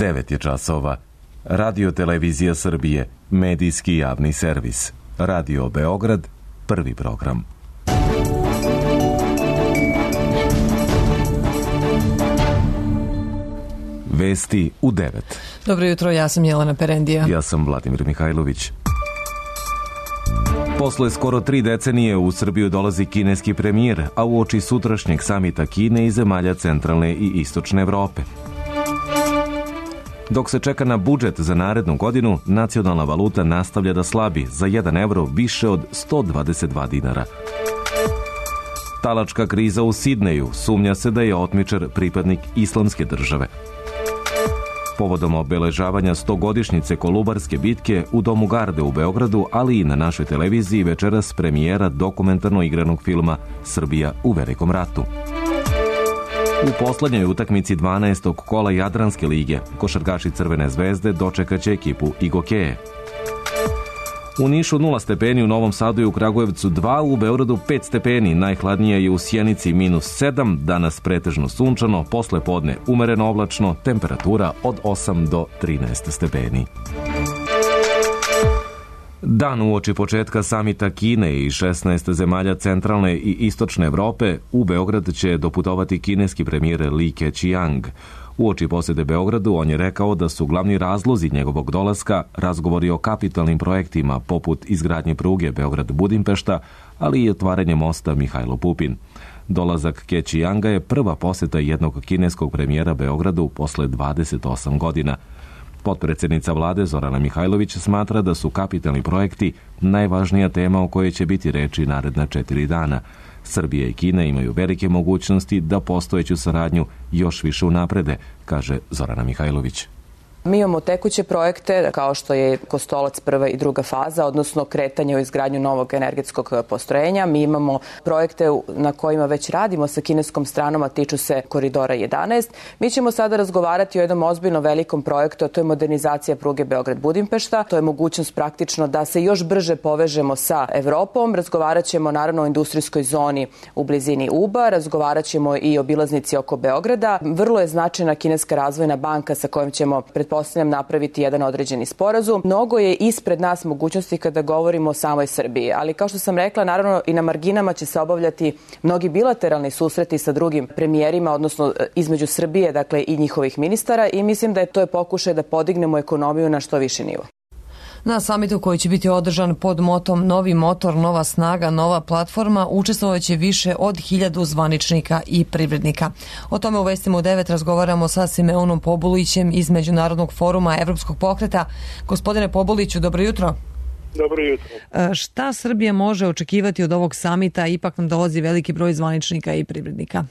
9 je časova. Radio Televizija Srbije, medijski javni servis. Radio Beograd, prvi program. Vesti u 9. Dobro jutro, ja sam Jelena Perendija. Ja sam Vladimir Mihajlović. Posle skoro 3 decenije u Srbiju dolazi kineski premijer, a uoči sutrašnjeg samita Kine i zemalja centralne i istočne Evrope. Dok se čeka na budžet za narednu godinu, nacionalna valuta nastavlja da slabi za 1 evro više od 122 dinara. Talačka kriza u Sidneju, sumnja se da je otmičar pripadnik Islamske države. Povodom obeležavanja 100-godišnjice Kolubarske bitke u Domu Garde u Beogradu, ali i na našoj televiziji večeras premijera dokumentarno igranog filma Srbija u Velikom ratu. U poslednjoj utakmici 12. kola Jadranske lige košarkaši Crvene zvezde dočekaće ekipu Igokeje. U Nišu 0 stepeni, u Novom Sadu i u Kragujevcu 2, u Beogradu 5 stepeni, najhladnije je u Sjenici -7, danas pretežno sunčano, posle podne umereno oblačno, temperatura od 8 do 13 stepeni. Dan uoči početka samita Kine i 16 zemalja centralne i istočne Evrope, u Beograd će doputovati kineski premijer Li Keqiang. Uoči posjete Beogradu on je rekao da su glavni razlozi njegovog dolaska razgovori o kapitalnim projektima poput izgradnje pruge Beograd-Budimpešta, ali i otvaranje mosta Mihajlo Pupin. Dolazak Keqianga je prva posjeta jednog kineskog premijera Beogradu posle 28 godina. Potpredsjednica vlade Zorana Mihajlović smatra da su kapitalni projekti najvažnija tema o kojoj će biti reči naredna 4 dana. Srbija i Kina imaju velike mogućnosti da postojeću saradnju još više unaprede, kaže Zorana Mihajlović. Mi imamo tekuće projekte kao što je Kostolac prva i druga faza, odnosno kretanje u izgradnju novog energetskog postrojenja. Mi imamo projekte na kojima već radimo sa kineskom stranom, a tiču se Koridora 11. Mi ćemo sada razgovarati o jednom ozbiljno velikom projektu, a to je modernizacija pruge Beograd-Budimpešta. To je mogućnost praktično da se još brže povežemo sa Evropom. Razgovarat ćemo naravno o industrijskoj zoni u blizini Uba, razgovarat ćemo i o obilaznici oko Beograda. Vrlo je značajna kineska razvojna banka sa kojom ćemo pretpostavljam napraviti jedan određeni sporazum. Mnogo je ispred nas mogućnosti kada govorimo o samoj Srbiji, ali kao što sam rekla, naravno i na marginama će se obavljati mnogi bilateralni susreti sa drugim premijerima, odnosno između Srbije, dakle i njihovih ministara, i mislim da je to pokušaj da podignemo ekonomiju na što viši nivo. Na samitu koji će biti održan pod motom Novi motor, nova snaga, nova platforma učestvovaće više od 1000 zvaničnika i privrednika. O tome u Vestima u 9 razgovaramo sa Simeonom Pobulićem iz Međunarodnog foruma Evropskog pokreta. Gospodine Pobuliću, dobro jutro. Dobro jutro. Šta Srbija može očekivati od ovog samita? Ipak nam dolazi veliki broj zvaničnika i privrednika.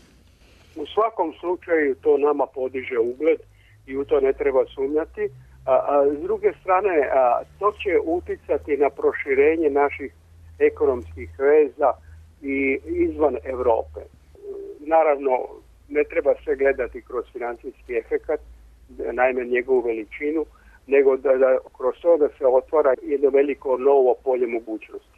U svakom slučaju to nama podiže ugled i u to ne treba sumnjati. S druge strane, to će uticati na proširenje naših ekonomskih veza i izvan Evrope. Naravno, ne treba sve gledati kroz financijski efekat, naime njegovu veličinu, nego da kroz to da se otvara jedno veliko novo polje mogućnosti.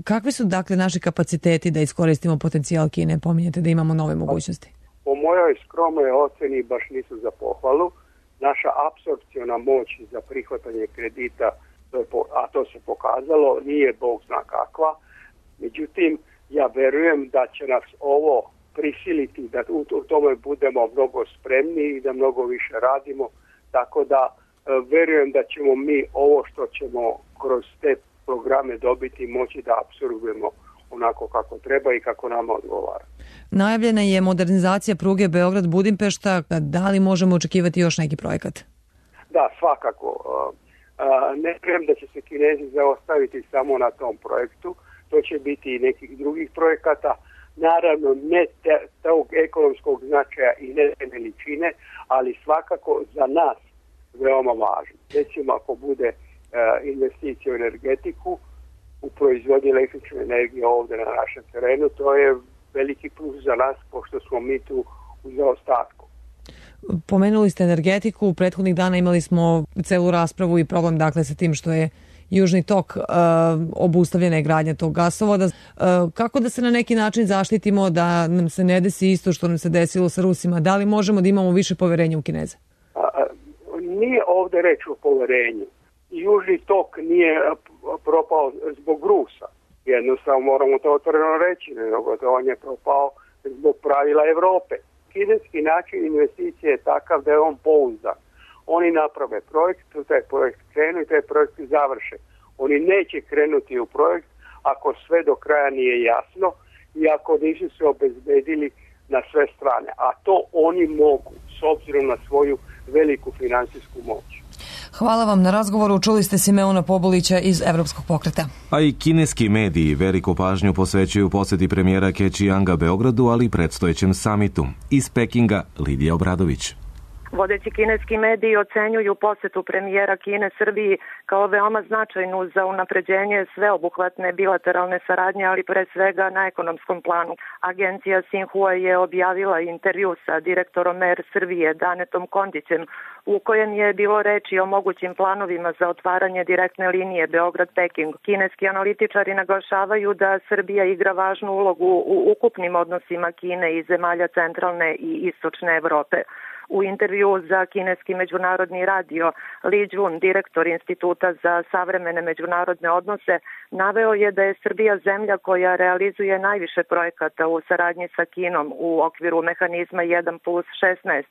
Kakvi su dakle naši kapaciteti da iskoristimo potencijal Kine? Pominjete da imamo nove mogućnosti. Po mojoj skromnoj oceni baš nisu za pohvalu. Naša apsorpciona moć za prihvatanje kredita, a to se pokazalo, nije Bog zna kakva. Međutim, ja verujem da će nas ovo prisiliti da u tome budemo mnogo spremni i da mnogo više radimo. Tako da verujem da ćemo mi ovo što ćemo kroz te programe dobiti moći da apsorbujemo onako kako treba i kako nama odgovara. Najavljena je modernizacija pruge Beograd-Budimpešta. Da li možemo očekivati još neki projekat? Da, svakako. Ne vjerujem da će se Kinezi zaostaviti samo na tom projektu. To će biti i nekih drugih projekata. Naravno, ne tog ekonomskog značaja i ne te veličine, ali svakako za nas veoma važno. Recimo, ako bude investicija u energetiku, u proizvodnji električne energije ovdje na našem terenu, to je veliki plus za nas, pošto smo mi tu u zaostatku. Pomenuli ste energetiku, prethodnih dana imali smo celu raspravu i problem dakle sa tim što je Južni tok, obustavljena je gradnja tog gasovoda. Kako da se na neki način zaštitimo da nam se ne desi isto što nam se desilo sa Rusima? Da li možemo da imamo više poverenja u Kineze? ovde reč o poverenju. Južni tok nije propao zbog Rusa. Jednostavno moramo to otvoreno reći, nego on je propao zbog pravila Evrope. Kineski način investicije je takav da je on pouzdan. Oni naprave projekt, taj projekt krenu i taj projekt završe. Oni neće krenuti u projekt ako sve do kraja nije jasno i ako nisu se obezbedili na sve strane. A to oni mogu, s obzirom na svoju veliku finansijsku moć. Hvala vam na razgovoru. Čuli ste Simeona Pobulića iz Evropskog pokreta. A i kineski mediji veliku pažnju posvećuju poseti premijera Ke Qianga Beogradu, ali i predstojećem samitu. Iz Pekinga, Lidija Obradović. Vodeći kineski mediji ocenjuju posetu premijera Kine Srbiji kao veoma značajnu za unapređenje sveobuhvatne bilateralne saradnje, ali pre svega na ekonomskom planu. Agencija Xinhua je objavila intervju sa direktorom Air Srbije Danetom Kondićem, u kojem je bilo reči o mogućim planovima za otvaranje direktne linije Beograd-Peking. Kineski analitičari naglašavaju da Srbija igra važnu ulogu u ukupnim odnosima Kine i zemalja centralne i istočne Evrope. U intervju za kineski međunarodni radio, Li Jun, direktor Instituta za savremene međunarodne odnose, naveo je da je Srbija zemlja koja realizuje najviše projekata u saradnji sa Kinom u okviru mehanizma 1+16,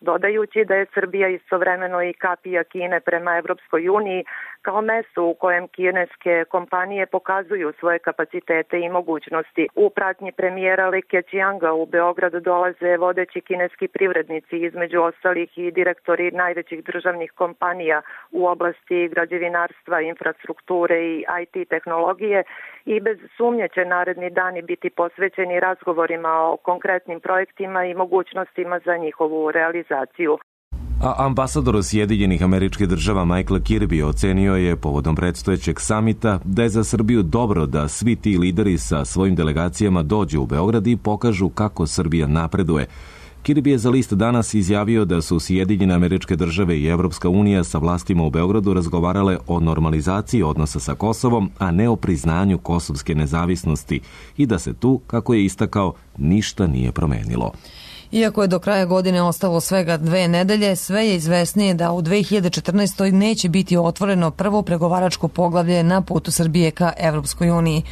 dodajući da je Srbija istovremeno i kapija Kine prema Evropskoj uniji kao mesto u kojem kineske kompanije pokazuju svoje kapacitete i mogućnosti. U pratnji premijera Li Keqianga u Beograd dolaze vodeći kineski privrednici, između ostalih i direktori najvećih državnih kompanija u oblasti građevinarstva, infrastrukture i IT tehnologije i bez sumnje će naredni dani biti posvećeni razgovorima o konkretnim projektima i mogućnostima za njihovu realizaciju. A ambasador Sjedinjenih Američkih Država Michael Kirby ocenio je povodom predstojećeg samita da je za Srbiju dobro da svi ti lideri sa svojim delegacijama dođu u Beograd i pokažu kako Srbija napreduje. Kirby je za list Danas izjavio da su Sjedinjene Američke Države i Evropska unija sa vlastima u Beogradu razgovarale o normalizaciji odnosa sa Kosovom, a ne o priznanju kosovske nezavisnosti i da se tu, kako je istakao, ništa nije promenilo. Iako je do kraja godine ostalo svega 2 nedelje, sve je izvesnije da u 2014. neće biti otvoreno prvo pregovaračko poglavlje na putu Srbije ka Evropskoj uniji.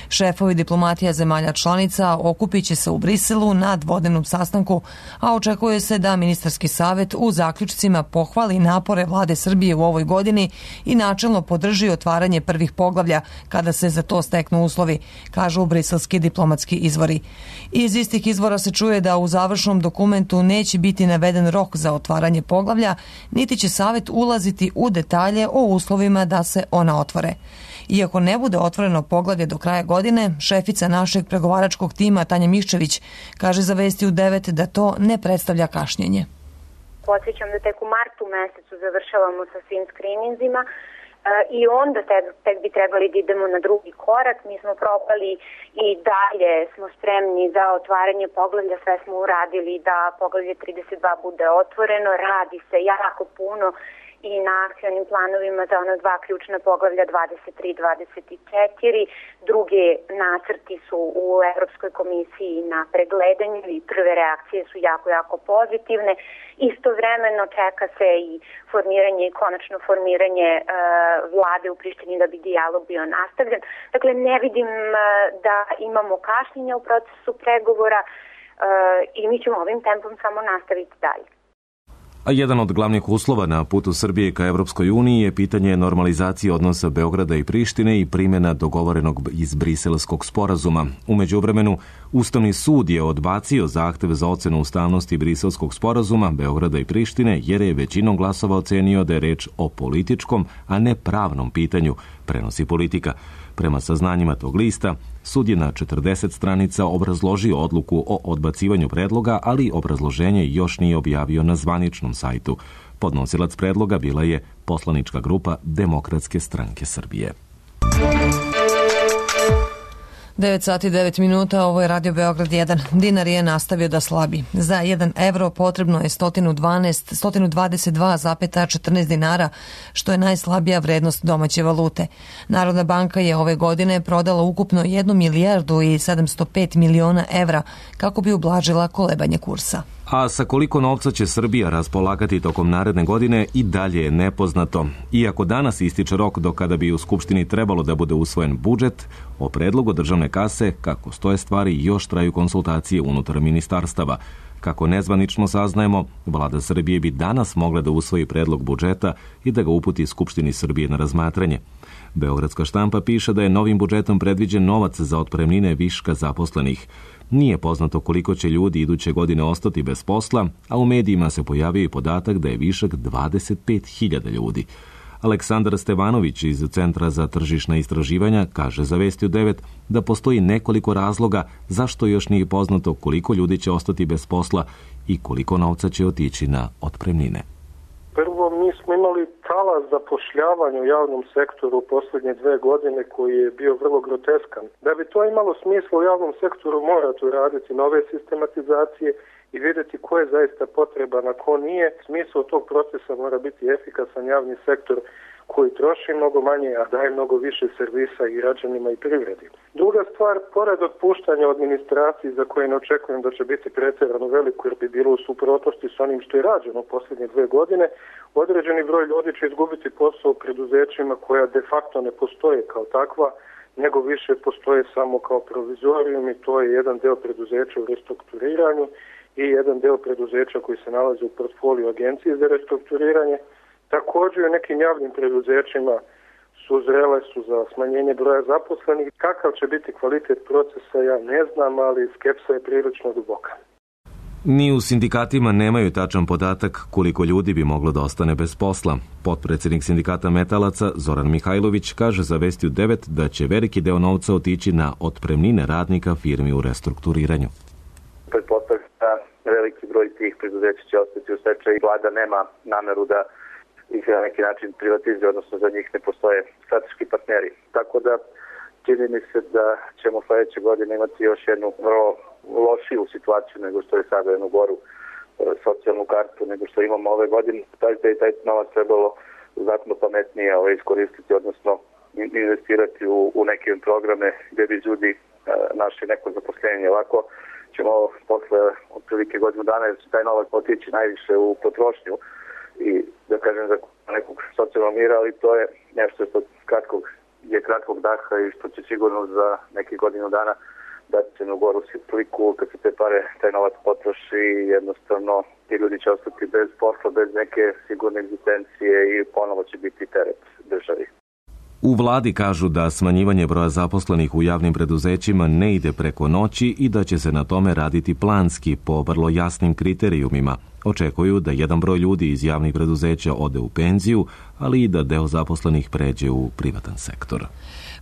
Šefovi diplomatija zemalja članica okupit će se u Briselu na dvodnevnom sastanku, a očekuje se da ministarski savet u zaključcima pohvali napore vlade Srbije u ovoj godini i načelno podrži otvaranje prvih poglavlja kada se za to steknu uslovi, kažu briselski diplomatski izvori. Iz istih izvora se čuje da u završnom dokumentu neće biti naveden rok za otvaranje poglavlja, niti će savet ulaziti u detalje o uslovima da se ona otvore. Iako ne bude otvoreno poglavlje do kraja godine, šefica našeg pregovaračkog tima Tanja Miščević kaže za Vesti u 9 da to ne predstavlja kašnjenje. Podsjećam da tek u martu mesecu završavamo sa svim skrininzima i onda tek bi trebali da idemo na drugi korak. Mi smo propali i dalje smo spremni za otvaranje poglavlja, sve smo uradili da poglavlje 32 bude otvoreno, radi se jako puno i na akcionim planovima za ona 2 ključna poglavlja 23 i 24. Drugi nacrti su u Evropskoj komisiji na pregledanju i prve reakcije su jako pozitivne. Istovremeno čeka se i formiranje i konačno formiranje vlade u Prištini da bi dijalog bio nastavljen. Dakle, ne vidim da imamo kašnjenja u procesu pregovora i mi ćemo ovim tempom samo nastaviti dalje. A jedan od glavnih uslova na putu Srbije ka Evropskoj uniji je pitanje normalizacije odnosa Beograda i Prištine i primjena dogovorenog iz Briselskog sporazuma. U međuvremenu, Ustavni sud je odbacio zahtev za ocenu ustavnosti Briselskog sporazuma Beograda i Prištine jer je većinom glasova ocenio da je reč o političkom, a ne pravnom pitanju, prenosi Politika. Prema saznanjima tog lista, sud je na 40 stranica obrazložio odluku o odbacivanju predloga, ali obrazloženje još nije objavio na zvaničnom sajtu. Podnosilac predloga bila je poslanička grupa Demokratske stranke Srbije. 9 sati 9 minuta, ovo je Radio Beograd 1. Dinar je nastavio da slabi. Za 1 evro potrebno je 122,14 dinara, što je najslabija vrednost domaće valute. Narodna banka je ove godine prodala ukupno 1 milijardu i 705 miliona evra kako bi ublažila kolebanje kursa. A sa koliko novca će Srbija raspolagati tokom naredne godine i dalje je nepoznato. Iako danas ističe rok do kada bi u Skupštini trebalo da bude usvojen budžet, o predlogu državne kase, kako stoje stvari, još traju konsultacije unutar ministarstava. Kako nezvanično saznajemo, vlada Srbije bi danas mogla da usvoji predlog budžeta i da ga uputi Skupštini Srbije na razmatranje. Beogradska štampa piše da je novim budžetom predviđen novac za otpremnine viška zaposlenih. Nije poznato koliko će ljudi iduće godine ostati bez posla, a u medijima se pojavio i podatak da je višak 25.000 ljudi. Aleksandar Stevanović iz Centra za tržišna istraživanja kaže za Vesti u 9 da postoji nekoliko razloga zašto još nije poznato koliko ljudi će ostati bez posla i koliko novca će otići na otpremnine. Prvo, mi smo imali talas zapošljavanja u javnom sektoru u posljednje 2 godine koji je bio vrlo groteskan. Da bi to imalo smisla u javnom sektoru morate uraditi nove sistematizacije i vidjeti ko je zaista potreban, a ko nije. Smisao tog procesa mora biti efikasan javni sektor koji troši mnogo manje, a daje mnogo više servisa i građanima i privredi. Druga stvar, pored otpuštanja u administraciji za koje ne očekujem da će biti pretjerano veliko jer bi bilo u suprotnosti s onim što je rađeno u posljednje 2 godine, određeni broj ljudi će izgubiti posao u preduzećima koja de facto ne postoje kao takva, nego više postoje samo kao provizorijum i to je jedan deo preduzeća u restrukturiranju i jedan deo preduzeća koji se nalazi u portfoliju agencije za restrukturiranje. Također u nekim javnim preduzećima zrele su za smanjenje broja zaposlenih. Kakav će biti kvalitet procesa, ja ne znam, ali skepsa je prilično duboka. Ni u sindikatima nemaju tačan podatak koliko ljudi bi moglo da ostane bez posla. Potpredsjednik sindikata metalaca Zoran Mihajlović kaže za Vesti u 9 da će veliki deo novca otići na otpremnine radnika firmi u restrukturiranju. Pretpostavljam da veliki broj tih preduzeća će ostati u stečaju i vlada nema nameru da ih na neki način privatizuje, odnosno za njih ne postoje strateški partneri. Tako da čini mi se da ćemo sledeće godine imati još jednu vrlo lošiju situaciju nego što je sada, jednu goru socijalnu kartu nego što imamo ove godine. Taj novac trebalo znatno pametnije iskoristiti, odnosno investirati u neke programe gdje bi ljudi našli neko zaposlenje. Ovako ćemo posle otprilike godinu dana jer će taj novac otići najviše u potrošnju i da kažem za nekog socijalnog mira, ali to je nešto što je kratkog daha i što će sigurno za nekih godinu dana dati se na goru sliku kad se te pare, taj novac potroši i jednostavno ti ljudi će ostati bez posla, bez neke sigurne egzistencije i ponovo će biti teret državi. U vladi kažu da smanjivanje broja zaposlenih u javnim preduzećima ne ide preko noći i da će se na tome raditi planski po vrlo jasnim kriterijumima. Očekuju da jedan broj ljudi iz javnih preduzeća ode u penziju, ali i da deo zaposlenih pređe u privatan sektor.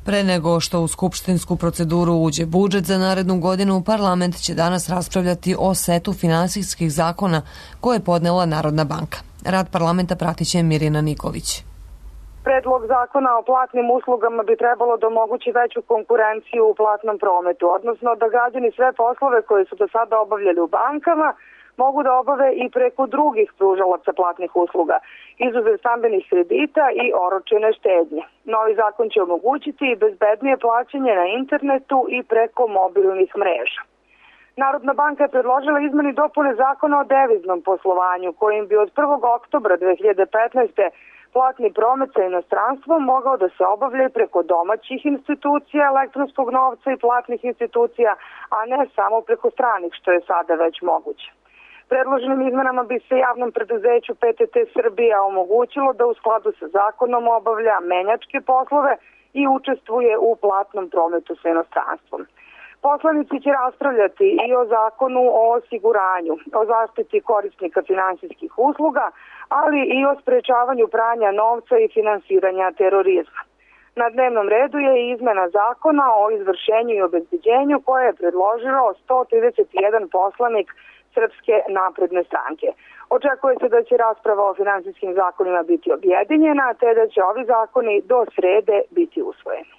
Pre nego što u skupštinsku proceduru uđe budžet za narednu godinu, parlament će danas raspravljati o setu finansijskih zakona koje je podnela Narodna banka. Rad parlamenta pratit će Mirjana Nikolić. Predlog zakona o platnim uslugama bi trebalo da omogući veću konkurenciju u platnom prometu, odnosno da građani sve poslove koje su do sada obavljali u bankama mogu da obave i preko drugih pružalaca platnih usluga, izuzev stambenih kredita i oročene štednje. Novi zakon će omogućiti i bezbednije plaćanje na internetu i preko mobilnih mreža. Narodna banka je predložila izmene i dopune zakona o deviznom poslovanju, kojim bi od 1. oktobra 2015. platni promet sa inostranstvom mogao da se obavlja preko domaćih institucija elektronskog novca i platnih institucija, a ne samo preko stranih, što je sada već moguće. Predloženim izmenama bi se javnom preduzeću PTT Srbija omogućilo da u skladu sa zakonom obavlja menjačke poslove i učestvuje u platnom prometu sa inostranstvom. Poslanici će raspravljati i o zakonu o osiguranju, o zaštiti korisnika finansijskih usluga, ali i o sprečavanju pranja novca i finansiranja terorizma. Na dnevnom redu je i izmena zakona o izvršenju i obezbeđenju koje je predložilo 131 poslanik Srpske napredne stranke. Očekuje se da će rasprava o finansijskim zakonima biti objedinjena, te da će ovi zakoni do srede biti usvojeni.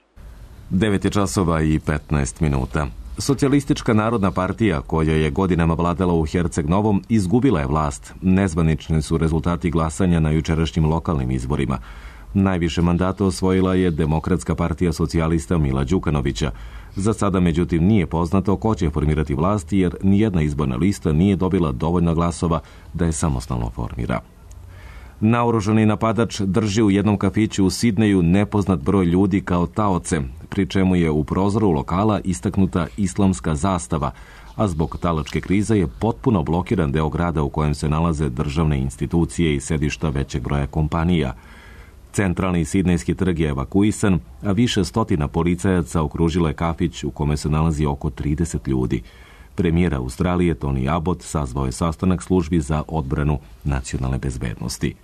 9:15. Socijalistička narodna partija, koja je godinama vladala u Herceg Novom, izgubila je vlast. Nezvanični su rezultati glasanja na jučerašnjim lokalnim izborima. Najviše mandata osvojila je Demokratska partija socijalista Mila Đukanovića. Za sada, međutim, nije poznato ko će formirati vlast jer nijedna izborna lista nije dobila dovoljno glasova da je samostalno formira. Naoružani napadač drži u jednom kafiću u Sidneju nepoznat broj ljudi kao taoce, pri čemu je u prozoru lokala istaknuta islamska zastava, a zbog talačke krize je potpuno blokiran deo grada u kojem se nalaze državne institucije i sedišta većeg broja kompanija. Centralni sidnejski trg je evakuisan, a više stotina policajaca okružilo je kafić u kome se nalazi oko 30 ljudi. Premijer Australije Tony Abbott sazvao je sastanak službi za odbranu nacionalne bezbednosti.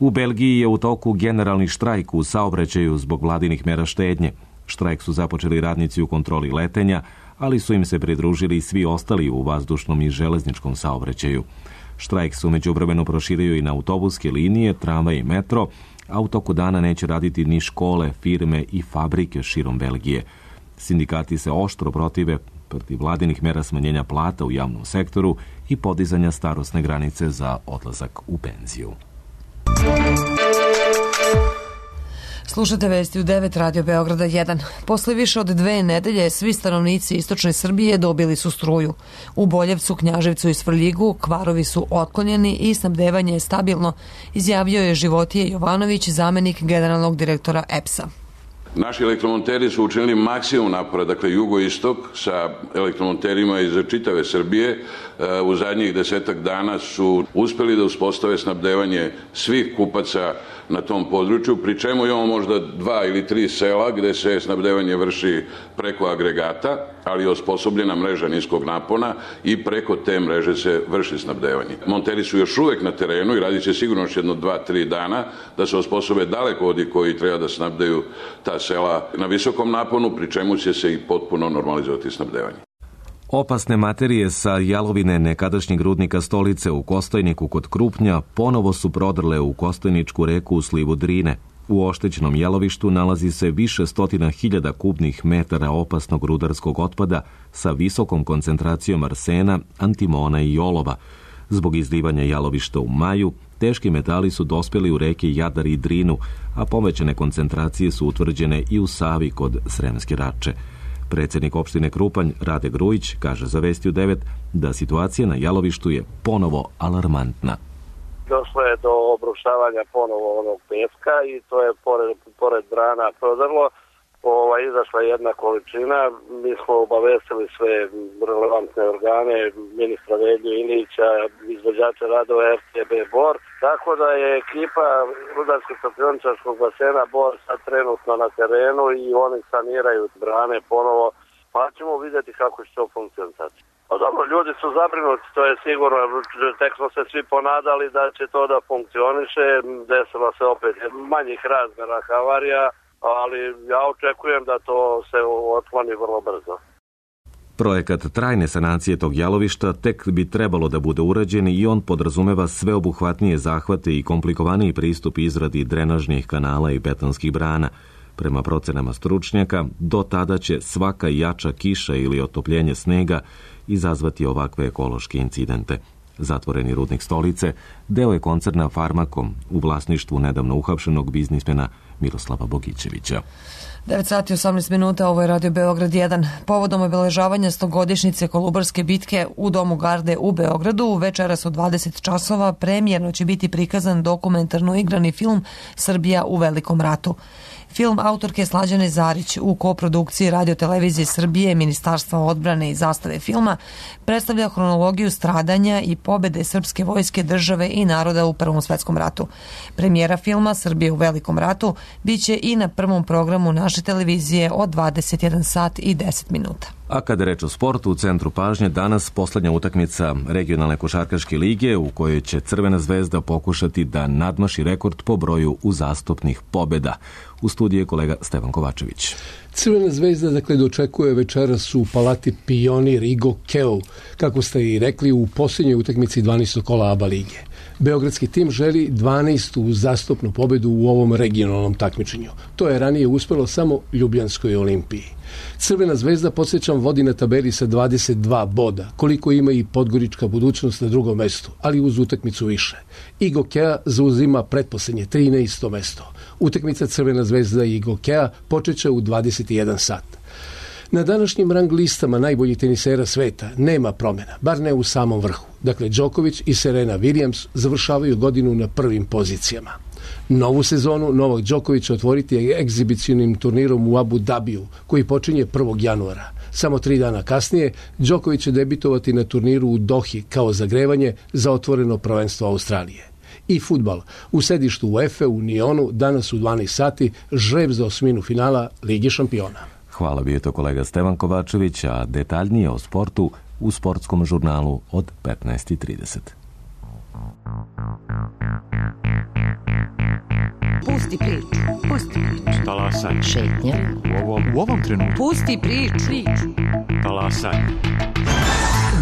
U Belgiji je u toku generalni štrajk u saobraćaju zbog vladinih mera štednje. Štrajk su započeli radnici u kontroli letenja, ali su im se pridružili i svi ostali u vazdušnom i železničkom saobraćaju. Štrajk su međuvremeno proširio i na autobuske linije, tramvaj i metro, a u toku dana neće raditi ni škole, firme i fabrike širom Belgije. Sindikati se oštro protive protiv vladinih mera smanjenja plata u javnom sektoru i podizanja starosne granice za odlazak u penziju. Slušate vesti u 9 Radio Beograda 1. Posle više od 2 nedelje svi stanovnici istočne Srbije dobili su struju. U Boljevcu, Knjaževcu i Svrljigu kvarovi su otklonjeni i snabdevanje je stabilno, izjavio je Životije Jovanović, zamenik generalnog direktora EPS-a. Naši elektromonteri su učinili maksimum napora, dakle jugoistok sa elektromonterima iz čitave Srbije u zadnjih 10 dana su uspeli da uspostave snabdevanje svih kupaca na tom području, pri čemu imamo možda 2 ili 3 sela gde se snabdevanje vrši preko agregata, ali je osposobljena mreža niskog napona i preko te mreže se vrši snabdevanje. Monteri su još uvek na terenu i radit će sigurno još jedno 2-3 dana da se osposobe dalekovodi koji treba da snabdeju ta sela na visokom naponu, pri čemu će se i potpuno normalizovati snabdevanje. Opasne materije sa jalovine nekadašnjeg rudnika Stolice u Kostojniku kod Krupnja ponovo su prodrle u Kostojničku reku u slivu Drine. U oštećenom jalovištu nalazi se više stotina hiljada kubnih metara opasnog rudarskog otpada sa visokom koncentracijom arsena, antimona i olova. Zbog izlivanja jalovišta u maju, teški metali su dospjeli u reke Jadar i Drinu, a povećane koncentracije su utvrđene i u Savi kod Sremske Rače. Predsjednik opštine Krupanj, Rade Grujić, kaže za Vesti u 9 da situacija na jalovištu je ponovo alarmantna. Došlo je do obrušavanja ponovo onog peska i to je pored brana prodrlo. Izašla jedna količina, mi smo obavestili sve relevantne organe, ministra Velju Ilića, izvođača radova RTB Bor, tako da je ekipa Rudarsko-topioničarskog basena Bor sad trenutno na terenu i oni saniraju brane ponovo, pa ćemo vidjeti kako će to funkcionirati. Dobro, ljudi su zabrinuti, to je sigurno, tek smo se svi ponadali da će to da funkcioniše, desila se opet manjih razmjera havarija, ali ja očekujem da to se otkloni vrlo brzo. Projekat trajne sanacije tog jalovišta tek bi trebalo da bude urađen i on podrazumeva sveobuhvatnije zahvate i komplikovaniji pristup izradi drenažnih kanala i betonskih brana. Prema procenama stručnjaka, do tada će svaka jača kiša ili otopljenje snega izazvati ovakve ekološke incidente. Zatvoreni rudnik Stolice deo je koncerna Farmakom u vlasništvu nedavno uhapšenog biznismena Miroslava Bogićevića. 9 sati 18 minuta, ovo je Radio Beograd 1. Povodom obeležavanja 100-godišnjice Kolubarske bitke u Domu Garde u Beogradu, večeras od 20 časova premijerno će biti prikazan dokumentarno igrani film Srbija u Velikom ratu. Film autorke Slađane Zarić u koprodukciji Radio-televizije Srbije, Ministarstva odbrane i Zastave filma predstavlja hronologiju stradanja i pobede srpske vojske, države i naroda u Prvom svetskom ratu. Premijera filma Srbije u Velikom ratu biće i na prvom programu naše televizije od 21 sat i 10 minuta. A kada reč o sportu, u centru pažnje danas poslednja utakmica regionalne košarkaške lige u kojoj će Crvena zvezda pokušati da nadmaši rekord po broju uzastopnih pobjeda. U studiju je kolega Stevan Kovačević. Crvena zvezda dočekuje večeras u Palati Pionir Igo Keo, kako ste i rekli, u posljednjoj utakmici 12. kola ABA lige. Beogradski tim želi 12. uzastopnu pobedu u ovom regionalnom takmičenju. To je ranije uspelo samo Ljubljanskoj Olimpiji. Crvena zvezda, podsjećam, vodi na tabeli sa 22 boda, koliko ima i Podgorička Budućnost na drugom mestu, ali uz utakmicu više. I Gokea zauzima pretposlednje 13. mesto. Utakmica Crvena zvezda i Gokea počeće u 21 sat. Na današnjim rang listama najboljih tenisera sveta nema promjena, bar ne u samom vrhu. Dakle, Đoković i Serena Williams završavaju godinu na prvim pozicijama. Novu sezonu Novak Đoković otvoriti je egzibicionim turnirom u Abu Dabiju, koji počinje 1. januara. Samo 3 dana kasnije Đoković će debitovati na turniru u Dohi kao zagrevanje za otvoreno prvenstvo Australije. I fudbal. U sedištu UEFA u Nionu danas u 12 sati žreb za osminu finala Lige šampiona. Hvala, bio je to kolega Stevan Kovačević, a detaljnije o sportu u sportskom žurnalu od 15:30. Pusti priču. Pusti priču. Talasaj. Šetnja. U ovom trenutku. Pusti priču. Talasaj.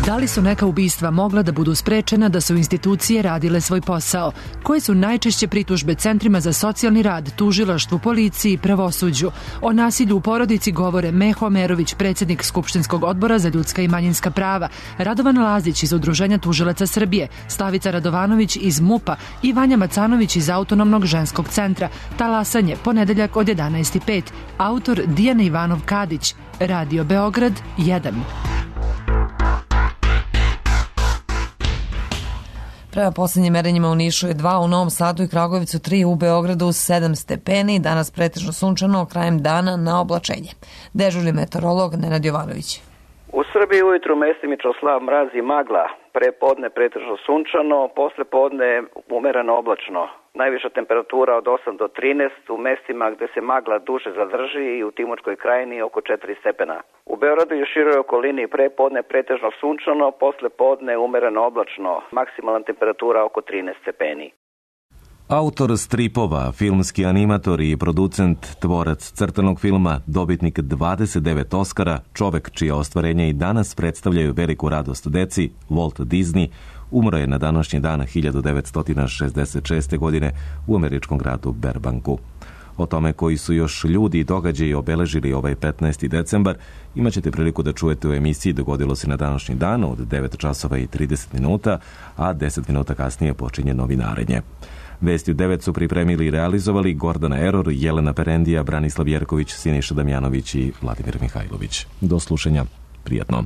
Da li su neka ubistva mogla da budu sprečena da su institucije radile svoj posao? Koje su najčešće pritužbe centrima za socijalni rad, tužilaštvu, policiji i pravosuđu? O nasilju u porodici govore Meho Amerović, predsjednik Skupštinskog odbora za ljudska i manjinska prava, Radovan Lazić iz Udruženja tužilaca Srbije, Slavica Radovanović iz MUP-a i Vanja Macanović iz Autonomnog ženskog centra. Talasanje, ponedeljak od 11:05. Autor Dijana Ivanov Kadić. Radio Beograd 1. Prema posljednjim merenjima u Nišu je 2, u Novom Sadu i Kragujevcu 3, u Beogradu 7 stepeni, danas pretežno sunčano, krajem dana na oblačenje. Dežurni meteorolog Nenad Jovanović. U Srbiji ujutru mestimično slab mraz i magla, pre podne pretežno sunčano, posle podne umereno oblačno. Najviša temperatura od 8 do 13, u mestima gde se magla duže zadrži i u Timočkoj krajini oko 4 stepena. U Beogradu i u široj okolini pre podne pretežno sunčano, posle podne umereno oblačno, maksimalna temperatura oko 13 stepeni. Autor stripova, filmski animator i producent, tvorac crtanog filma, dobitnik 29 Oskara, čovek čija ostvarenja i danas predstavljaju veliku radost deci, Walt Disney, umro je na današnji dan 1966. godine u američkom gradu Burbanku. O tome koji su još ljudi i događaji obeležili ovaj 15. decembar imat ćete priliku da čujete u emisiji Dogodilo se na današnji dan od 9 časova i 30 minuta, a 10 minuta kasnije počinje novinarenje. Vesti u 9 su pripremili i realizovali Gordana Eror, Jelena Perendija, Branislav Jerković, Siniša Damjanović i Vladimir Mihajlović. Do slušanja. Prijatno.